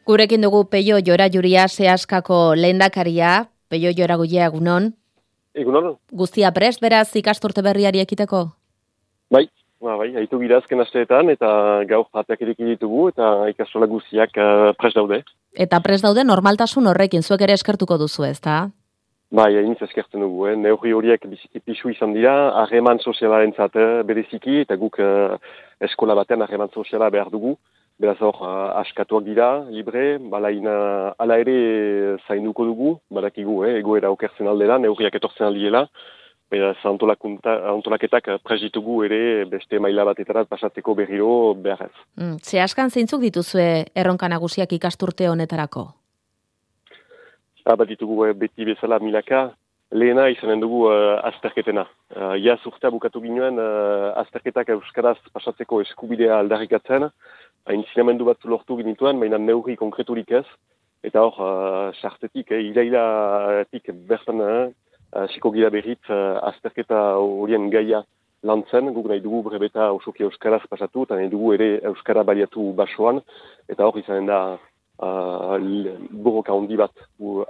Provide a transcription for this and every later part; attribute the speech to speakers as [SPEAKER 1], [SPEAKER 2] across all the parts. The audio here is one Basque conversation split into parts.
[SPEAKER 1] Gurekin dugu Peio Jorajuria Seaskako lehendakaria, Peio Joraguia egunon.
[SPEAKER 2] Egunon.
[SPEAKER 1] Guztia prest beraz ikasturte berriari ekiteko?
[SPEAKER 2] Bai, haitu gira azken asteetan eta gaur jateak ireki ditugu eta ikastola guztiak prest daude.
[SPEAKER 1] Eta prest daude normaltasun horrekin, zuek ere eskertuko duzu ezta?
[SPEAKER 2] Bai, hainitz eskertzen dugu, neurri horiek biziki pixu izan dira, harreman sozialarentzat bereziki eta guk eskola batean harreman soziala behar dugu. Beraz hor, askatuak dira, libre, ala ere zainduko dugu, badakigu, egoera okertzen aldela, neurriak etortzen aldiela, beraz antolaketak prest ere beste maila batetarat pasatzeko berriro beharrez.
[SPEAKER 1] Zehaskan zeintzuk dituzue erronka nagusiak ikasturte honetarako?
[SPEAKER 2] Bat ditugu beti bezala milaka, lehena izanen dugu azterketena. Iaz urtea bukatu ginoen azterketak euskaraz pasatzeko eskubidea aldarrikatzen, aintzinamendu batzu lortu ginituen, baina neurri konkreturik ez, eta hor, sartetik, irailatik bertan, hasiko gira berriz azterketa horien gaia lantzen, guk nahi dugu brebeta osoki euskaraz pasatu, eta nahi dugu ere euskara baliatu basoan, eta hor izanen da borroka handi bat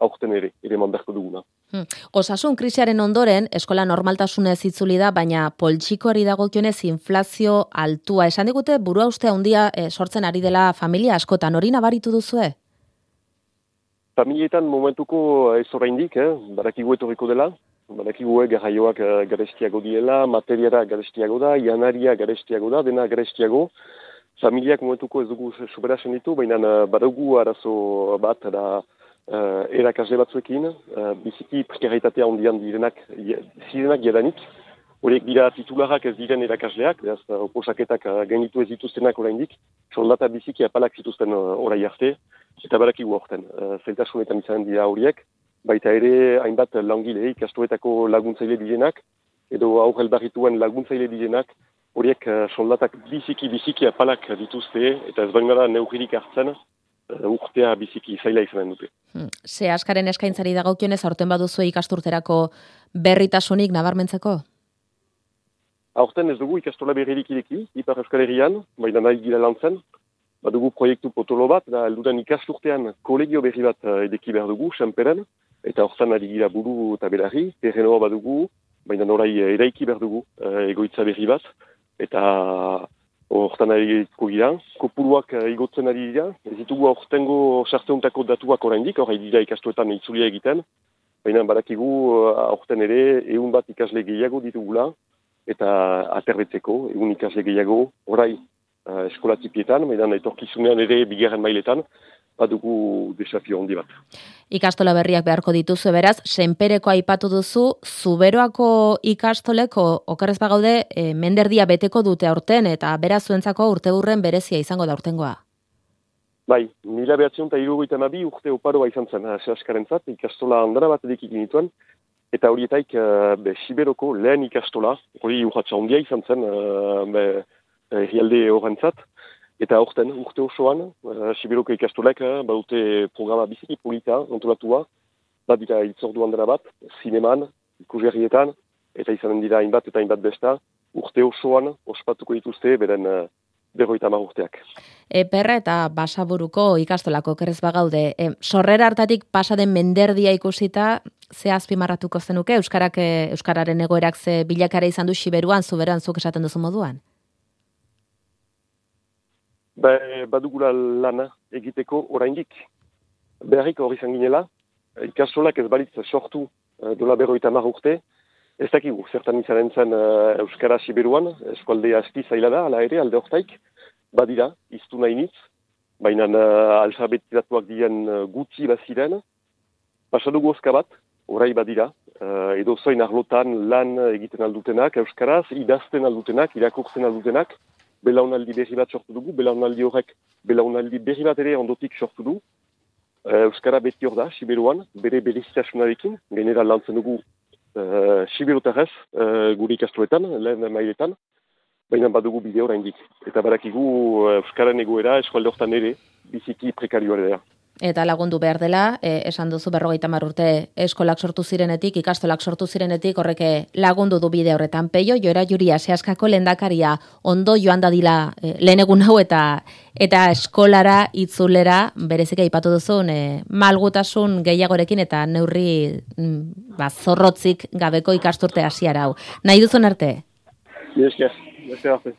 [SPEAKER 2] aurten ere eman beharko duguna.
[SPEAKER 1] Osasun krisiaren ondoren, eskola normaltasunez itzuli da, baina poltsikoari dagokionez inflazio altua. Esan digute burua uste handia sortzen ari dela familia askotan, hori nabaritu duzue?
[SPEAKER 2] Familietan momentuko ez oraindik, badakigu etorriko dela, badakigu garraioak garestiago diela, materiara garestiago da, janaria garestiago da, dena garestiago. Familiak momentuko ez dugu superasen ditu, baina badugu arazo bat da erakasle batzuekin, biziki prekaritatea ondian zirenak jadanik, horiek dira titularak ez diren erakasleak, beraz oposaketak gainitu ez dituztenak oraindik, soldata biziki apalak zituzten orai arte, eta badakigu horten. Zailtasunetan izan dira horiek, baita ere hainbat langile ikastoetako laguntzaile direnak, edo aurrel barrituen laguntzaile direnak, horiek soldatak biziki apalak dituzte, eta ez bain gara neugririk hartzen, urtea biziki zaila izanen dute.
[SPEAKER 1] Seaskaren eskaintzari dagokionez aurten baduzu ikasturterako berritasunik nabarmentzeko?
[SPEAKER 2] Aurten ez dugu ikastola berririk ireki, Ipar Euskal Herrian, baina nahi gira lantzen. Badugu proiektu potolo bat, da helduren ikasturtean kolegio berri bat edeki behar dugu, Senperen, eta hortan ari gira buru eta belarri, terrenoa badugu, baina norai eraiki behar dugu egoitza berri bat, eta hortan ari gira, kopuruak igotzen ari dira, ez ditugu aurtengo sarteuntako datuak oraindik, hori dira ikastuetan itzulia egiten, baina badakigu aurten ere 100 bat ikasle gehiago ditugula, eta aterbetzeko 100 ikasle gehiago, orai eskolatipietan, baina etorkizunean ere bigarren mailetan, badugu desafio handi bat.
[SPEAKER 1] Ikastola berriak beharko dituzu, beraz, Senpereko aipatu duzu, Zuberoako ikastoleko okerrez bagaude, menderdia beteko dute aurten, eta beraz zuentzako urteurren berezia izango da aurtengoa.
[SPEAKER 2] Bai, 1972 urte oparoa izan zen, Seaskarentzat, ikastola handara bat edekik nituen, eta horietaik Siberoko lehen ikastola, hori urratxa handia izan zen, herrialde horrentzat, eta aurten, urte osoan, Siberoko ikastolek badute programa biziki polita, antolatua, badira itzordu handara bat, zineman, ikusgarrietan, eta izanen dira hainbat eta hainbat besta, urte osoan ospatuko dituzte, beren 50 urteak.
[SPEAKER 1] Perra eta Basaburuko ikastolako okerrez bagaude, sorrera hartatik pasaden menderdia ikusita, ze azpimarratuko zenuke, euskararen egoerak ze bilakara izan du Siberuan, Zuberoan zuk esaten duzu moduan?
[SPEAKER 2] Badugula lana egiteko oraindik. Beharrik hori izan ginela, ikastolak ez balitz sortu dola 50 urte, ez dakigu, zertan izanen zen Euskara Siberuan, eskualdea asti zaila da, ala ere, alde hortaik, badira, iztu nahi nitz, baina alfabetizatuak diren gutxi baziren, pasadugu oska bat, orai badira, edo zoin arlotan lan egiten aldutenak, Euskaraz, idazten aldutenak, irakurtzen aldutenak, belaunaldi berri bat sortu dugu, belaunaldi horrek, belaunaldi berri bat ere ondotik sortu du. Euskara beti hor da, Siberuan, bere berezitasunarekin, gainera lantzen dugu Siberotarrez, gure ikastoetan, lehen mailetan, baina badugu bide oraindik. Eta badakigu Euskaren egoera eskualde hortan ere, biziki prekarioa da.
[SPEAKER 1] eta lagundu behar dela, esan duzu 50 urte eskolak sortu zirenetik, ikastolak sortu zirenetik, horrek lagundu du bide horretan. Peio, Joera Juria, Seaskako lehendakaria, ondo joan dadila lehen egun hau eta eskolara, itzulera, berezik aipatu duzun, malgutasun gehiagorekin eta neurri zorrotzik gabeko ikasturte hasiera hau. Nahi duzun arte?
[SPEAKER 2] Esker arte.